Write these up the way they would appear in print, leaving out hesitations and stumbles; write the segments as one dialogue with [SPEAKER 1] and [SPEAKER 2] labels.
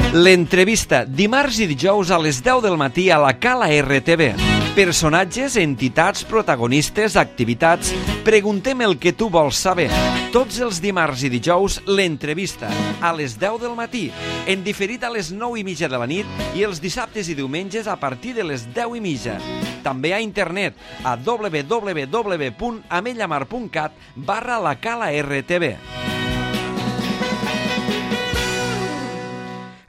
[SPEAKER 1] L'entrevista, dimarts i dijous a les 10 del matí a la Cala RTV. Personatges, entitats, protagonistes, activitats... Preguntem el que tu vols saber. Tots els dimarts i dijous, l'entrevista, a les 10 del matí, en diferit a les 9:30 de la nit i els dissabtes i diumenges a partir de les 10:30. També a internet a www.amellamar.cat/la Cala RTV.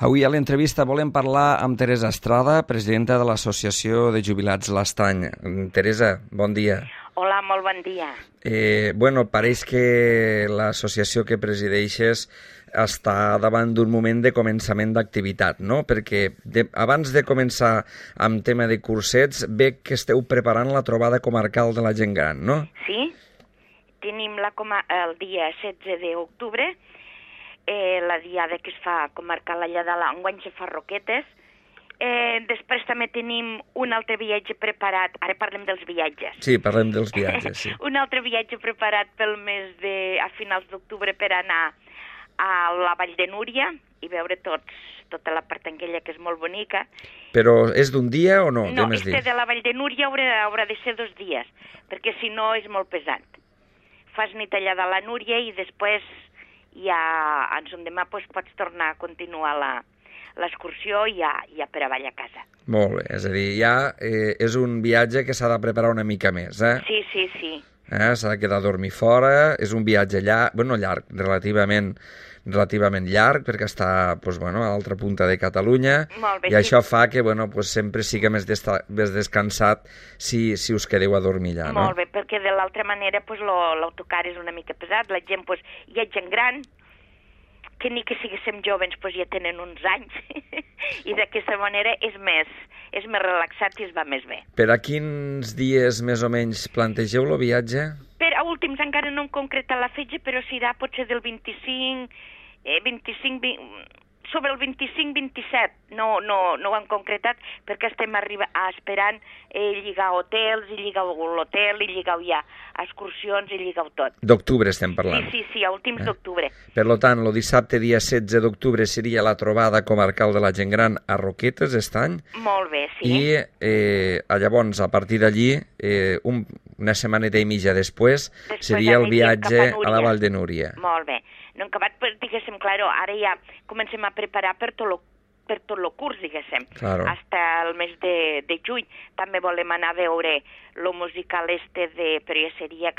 [SPEAKER 1] Avui a l'entrevista volem parlar amb Teresa Estrada, presidenta de l'Associació de Jubilats L'Estany. Teresa, bon dia.
[SPEAKER 2] Hola, molt bon dia.
[SPEAKER 1] Pareix que l'associació que presideixes està davant d'un moment de començament d'activitat, no? Perquè abans de començar amb tema de cursets, veig que esteu preparant la trobada comarcal de la gent gran, no?
[SPEAKER 2] Sí, tenim el dia 16 d'octubre, la diada que es fa comarcal allà de l'enguany se fa Roquetes. Després també tenim un altre viatge preparat, ara parlem dels viatges.
[SPEAKER 1] Sí, parlem dels viatges, sí.
[SPEAKER 2] Un altre viatge preparat pel mes a finals d'octubre per anar a la Vall de Núria i veure tota la part aquella que és molt bonica.
[SPEAKER 1] Però és d'un dia o no?
[SPEAKER 2] No, de la Vall de Núria haurà de ser 2 dies, perquè si no és molt pesant. Fas nit allà de la Núria i després ja ens demà pots tornar a continuar l'excursió i ja per avall a casa.
[SPEAKER 1] Molt bé, és a dir, ja és un viatge que s'ha de preparar una mica més, eh?
[SPEAKER 2] Sí.
[SPEAKER 1] S'ha de quedar a dormir fora, és un viatge llarg, relativament llarg, perquè està a l'altra punta de Catalunya, i això fa que sempre sigui més descansat si us quedeu a dormir allà, no?
[SPEAKER 2] Molt bé, perquè de l'altra manera l'autocar és una mica pesat, la gent hi ha gent gran, que ni que siguéssim joves ja tenen uns anys, i d'aquesta manera és més relaxat i es va més bé.
[SPEAKER 1] Per a quins dies més o menys plantegeu el viatge?
[SPEAKER 2] A últims encara no hem concretat la fetge, però serà potser del sobre el 25-27, no ho hem concretat perquè estem esperant lligar hotels, i lligar l'hotel, i lligar ja excursions, i lligar tot.
[SPEAKER 1] D'octubre estem parlant.
[SPEAKER 2] Sí, a últims d'octubre.
[SPEAKER 1] Per tant, el dissabte dia 16 d'octubre seria la trobada comarcal de la gent gran a Roquetes, Estany.
[SPEAKER 2] Molt bé, sí.
[SPEAKER 1] I llavors, a partir d'allí, una setmaneta i mitja després seria el viatge a la Vall de Núria.
[SPEAKER 2] Molt bé. No hem acabat, diguéssim, ara ja comencem a preparar per tot el curs, diguéssim, hasta el mes de juny. També volem anar a veure el musical però ja seria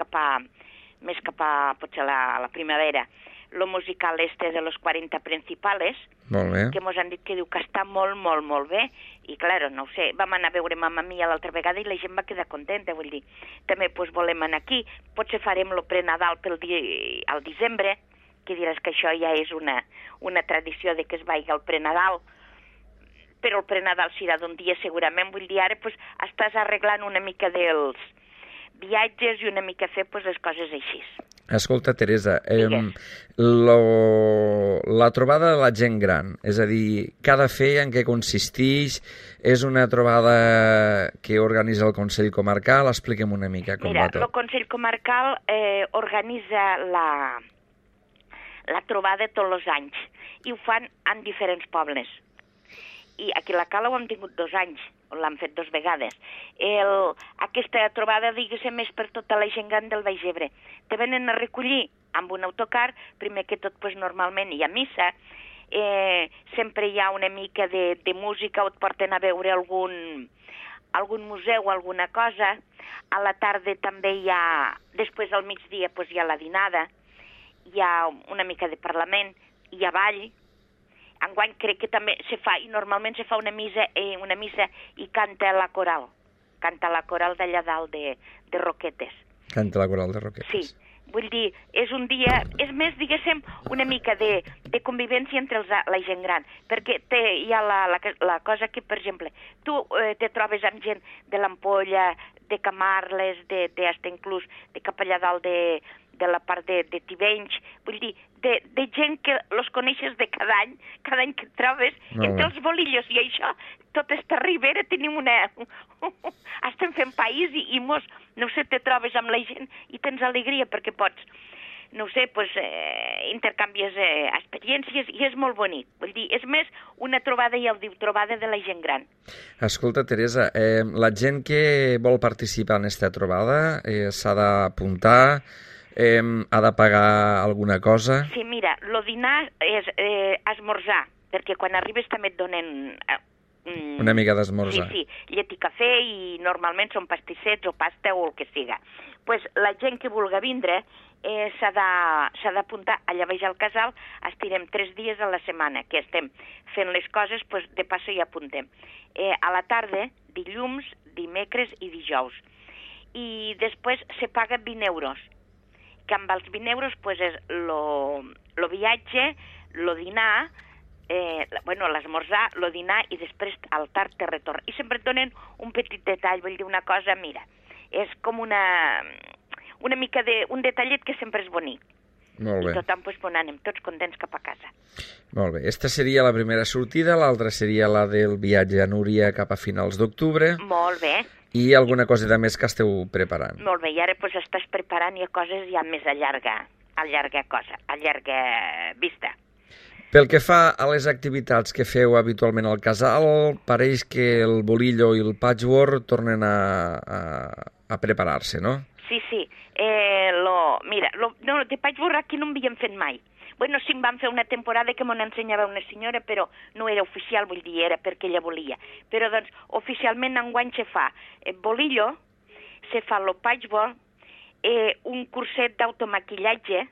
[SPEAKER 2] més cap a potser la primavera, el musical de los 40 principales, que ens han dit que diu que està molt, molt, molt bé, i clar, no ho sé, vam anar a veure Mamma Mia l'altra vegada i la gent va quedar contenta, vull dir, també volem anar aquí, potser farem el prenadal al desembre, que diràs que això ja és una tradició de que es vagi al prenadal, però el prenadal serà d'un dia segurament, vull dir, ara estàs arreglant una mica dels viatges i una mica fer les coses així.
[SPEAKER 1] Escolta, Teresa, la trobada de la gent gran, és a dir, què ha de fer, en què consisteix, és una trobada que organitza el Consell Comarcal? Expliquem una mica com va tot.
[SPEAKER 2] Mira, el Consell Comarcal organitza la trobada tots els anys i ho fan en diferents pobles. I aquí a la Cala ho hem tingut 2 anys, l'han fet 2 vegades. Aquesta trobada, diguéssim, és per tota la gent gran del Baix Ebre. Te venen a recollir amb un autocar, primer que tot normalment hi ha missa, sempre hi ha una mica de música, o et porten a veure algun museu o alguna cosa. A la tarda també hi ha, després al migdia hi ha la dinada, hi ha una mica de parlament, hi ha ball. Enguany crec que també se fa, i normalment se fa una missa i canta la coral d'allà dalt de Roquetes.
[SPEAKER 1] Canta la coral de Roquetes.
[SPEAKER 2] Sí, vull dir, és un dia, és més, diguéssim, una mica de convivència entre la gent gran, perquè hi ha la cosa que, per exemple, tu te trobes amb gent de l'Ampolla, de Camarles, hasta inclús de cap allà dalt de la part de Tivenys, vull dir, de gent que els coneixes de cada any que et trobes, entre els bolillos i això, tota esta ribera tenim estem fent país i no sé, te trobes amb la gent i tens alegria perquè pots no ho sé, pues, intercanvies experiències i és molt bonic. Vull dir, és més una trobada, ja ho diu, trobada de la gent gran.
[SPEAKER 1] Escolta, Teresa, la gent que vol participar en aquesta trobada s'ha d'apuntar, ha de pagar alguna cosa?
[SPEAKER 2] Sí, mira, el dinar és esmorzar, perquè quan arribes també et donen...
[SPEAKER 1] Una mica d'esmorzar.
[SPEAKER 2] Sí, llet i cafè, i normalment són pastissets o pasta o el que siga. Pues la gent que vulgui vindre s'ha d'apuntar allà baix al casal. Estirem 3 dies a la setmana que estem fent les coses, pues de passo hi apuntem. A la tarda, dilluns, dimecres i dijous. I després se paga 20 euros, que amb els 20 euros pues, és el viatge, el dinar, l'esmorzar, el dinar i després el tard de retorn. I sempre et donen un petit detall, vull dir una cosa, mira, és com una mica un detallet que sempre és bonic.
[SPEAKER 1] Molt bé.
[SPEAKER 2] I tothom pues, anem tots contents cap a casa.
[SPEAKER 1] Molt bé. Esta seria la primera sortida, l'altra seria la del viatge a Núria cap a finals d'octubre.
[SPEAKER 2] Molt bé.
[SPEAKER 1] I alguna coseta més que esteu preparant.
[SPEAKER 2] Molt bé, i ara pues, estàs preparant ja coses ja més a llarga vista.
[SPEAKER 1] Pel que fa a les activitats que feu habitualment al casal, pareix que el bolillo i el patchwork tornen a preparar-se, no?
[SPEAKER 2] Sí. De patchwork aquí no en havíem fet mai. Bueno, sí, em van fer una temporada que m'ho ensenyava una senyora, però no era oficial, vull dir, era perquè ella volia. Però, doncs, oficialment enguany se fa bolillo, se fa el patchwork, un curset d'automaquillatge,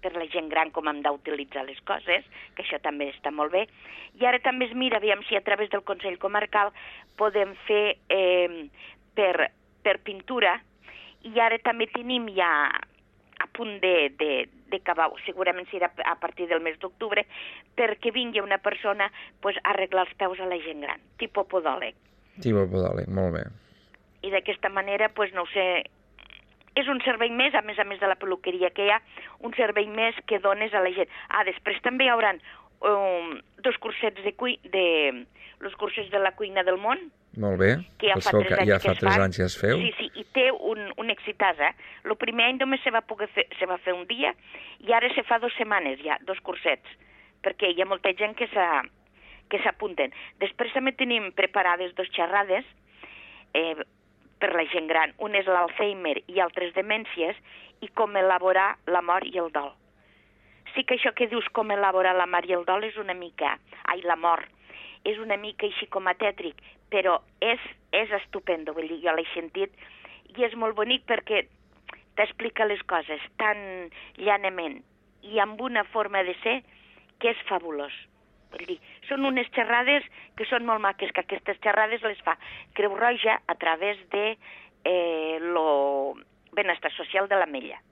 [SPEAKER 2] per la gent gran com hem d'utilitzar les coses, que això també està molt bé. I ara també es mira, aviam si a través del Consell Comarcal podem fer per pintura, i ara també tenim ja a punt d'acabar, segurament serà a partir del mes d'octubre, perquè vingui una persona pues, a arreglar els peus a la gent gran, tipus podòleg.
[SPEAKER 1] Tipus podòleg, molt bé.
[SPEAKER 2] I d'aquesta manera, pues, no ho sé, és un servei més, a més de la peluqueria que hi ha, un servei més que dones a la gent. Després també hi haurà 2 cursets els cursets de la cuina del món.
[SPEAKER 1] Molt bé,
[SPEAKER 2] que ja fa 3 anys
[SPEAKER 1] que es feu.
[SPEAKER 2] Sí, i té un excitàs, El primer any només se va fer un dia, i ara se fa 2 setmanes ja, 2 cursets, perquè hi ha molta gent que s'apunten. Després també tenim preparades 2 xerrades, per la gent gran. Un és l'Alzheimer i altres demències, i com elaborar la mort i el dol. Sí que això que dius com elaborar la mort i el dol és una mica... la mort. És una mica així com a tètric, però és estupendo, vull dir, jo l'he sentit, i és molt bonic perquè t'explica les coses tan llanament i amb una forma de ser que és fabulós. Vull dir, són unes xerrades que són molt maques, que aquestes xerrades les fa Creu Roja a través de lo benestar social de l'Ametlla.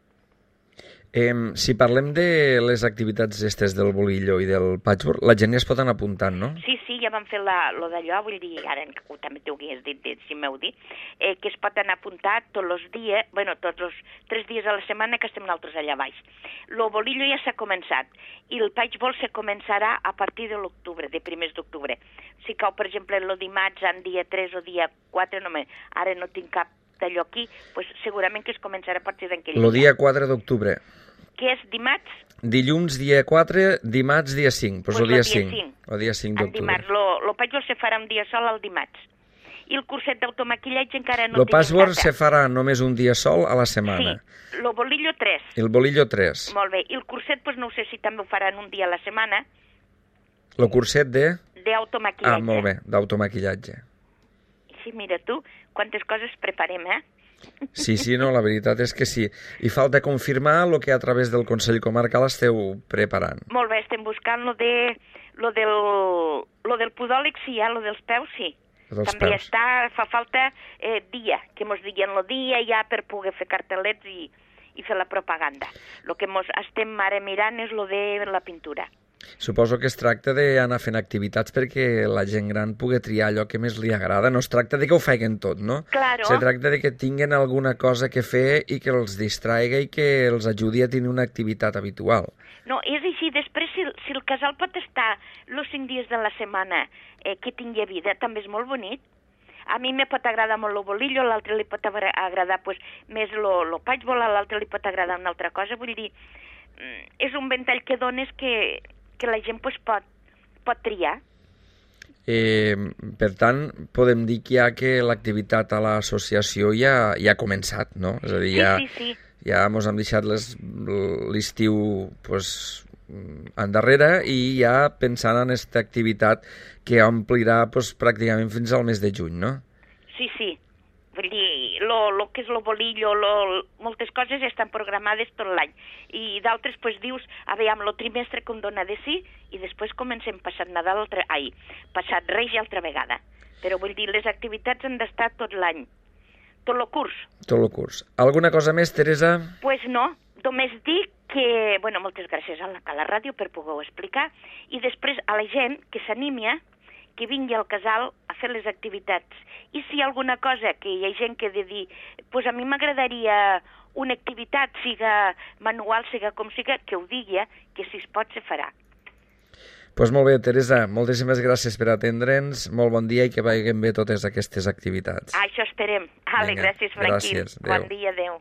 [SPEAKER 1] Si parlem de les activitats estes del bolillo i del patchwork, la gent ja es pot anar apuntant, no?
[SPEAKER 2] Sí, ja vam fer lo d'allò, vull dir, ara també t'ho hagués dit, si m'heu dit, que es pot anar apuntat tots els dies, tots els 3 dies a la setmana que estem nosaltres allà baix. Lo bolillo ja s'ha començat, i el patchwork se començarà a partir de l'octubre, de primers d'octubre. Si cau, per exemple, el dimarts, en dia 3 o dia 4, ara no tinc cap d'allò aquí, pues segurament que es començarà a partir d'aquell dia.
[SPEAKER 1] El dia 4 d'octubre.
[SPEAKER 2] Que és dimarts?
[SPEAKER 1] Dilluns, dia 4, dimarts, dia 5. Pues el dia 5. El dia 5 d'octubre.
[SPEAKER 2] Dimarts. Lo patchwork se farà un dia sol el dimarts. I el curset d'automaquillatge encara no tenim data.
[SPEAKER 1] El patchwork se farà només un dia sol a la setmana.
[SPEAKER 2] Sí, el bolillo 3.
[SPEAKER 1] El bolillo 3.
[SPEAKER 2] Molt bé. I el curset, pues no sé si també ho faran un dia a la setmana.
[SPEAKER 1] El curset de?
[SPEAKER 2] D'automaquillatge.
[SPEAKER 1] Molt bé, d'automaquillatge.
[SPEAKER 2] Sí, mira tu, quantes coses preparem,
[SPEAKER 1] Sí, no, la veritat és que sí. I falta confirmar el que a través del Consell Comarcal esteu preparant.
[SPEAKER 2] Molt bé, estem buscant lo del podòleg, sí, lo dels peus, sí. També fa falta dia, que mos diguen el dia ja per poder fer cartellets i fer la propaganda. El que estem ara mirant és lo de la pintura.
[SPEAKER 1] Suposo que es tracta d'anar fent activitats perquè la gent gran pugui triar allò que més li agrada. No es tracta de que ho facin tot, no?
[SPEAKER 2] Claro.
[SPEAKER 1] Se tracta de que tinguin alguna cosa que fer i que els distraiga i que els ajudi a tenir una activitat habitual.
[SPEAKER 2] No, és així. Després, si el casal pot estar els 5 dies de la setmana que tingui vida, també és molt bonic. A mi me pot agradar molt el bolillo, a l'altre li pot agradar més el patchwork, a l'altre li pot agradar una altra cosa. Vull dir, és un ventall que dones que la gent pues, pot triar.
[SPEAKER 3] Per tant, podem dir que l'activitat a l'associació ja ha començat, no? És a dir,
[SPEAKER 2] Sí.
[SPEAKER 3] ja ens hem deixat l'estiu pues, endarrere i ja pensant en aquesta activitat que omplirà pues, pràcticament fins al mes de juny, no?
[SPEAKER 2] Sí. Vull dir, lo que és lo bolillo, moltes coses estan programades tot l'any. I d'altres, pues, dius, aviam, lo trimestre que em dona de sí, i després comencem passat Nadal, passat Reis i altra vegada. Però vull dir, les activitats han d'estar tot l'any. Tot el curs.
[SPEAKER 3] Tot el curs. Alguna cosa més, Teresa?
[SPEAKER 2] Pues no, només dic que, bueno, moltes gràcies a la ràdio per poder-ho explicar, i després a la gent que s'animi que vingui al casal a fer les activitats. I si hi ha alguna cosa que hi ha gent que ha de dir, pues a mi m'agradaria una activitat, siga manual, siga com siga, que ho digui, que si es pot se farà.
[SPEAKER 3] Doncs molt bé, Teresa, moltíssimes gràcies per atendre'ns, molt bon dia i que vagin bé totes aquestes activitats.
[SPEAKER 2] Això esperem. Gràcies, Franquín.
[SPEAKER 3] Gràcies, adéu.
[SPEAKER 2] Bon dia, adéu.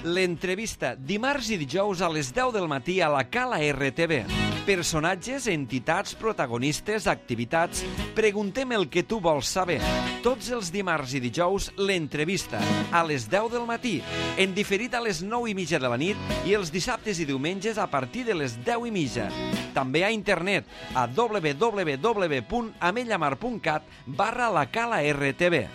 [SPEAKER 1] L'entrevista, dimarts i dijous a les 10 del matí a la Cala RTV. Personatges, entitats, protagonistes, activitats... Preguntem el que tu vols saber. Tots els dimarts i dijous, l'entrevista, a les 10 del matí, en diferit a les 9:30 de la nit i els dissabtes i diumenges a partir de les 10:30. També a internet a www.amellamar.cat/la Cala RTV.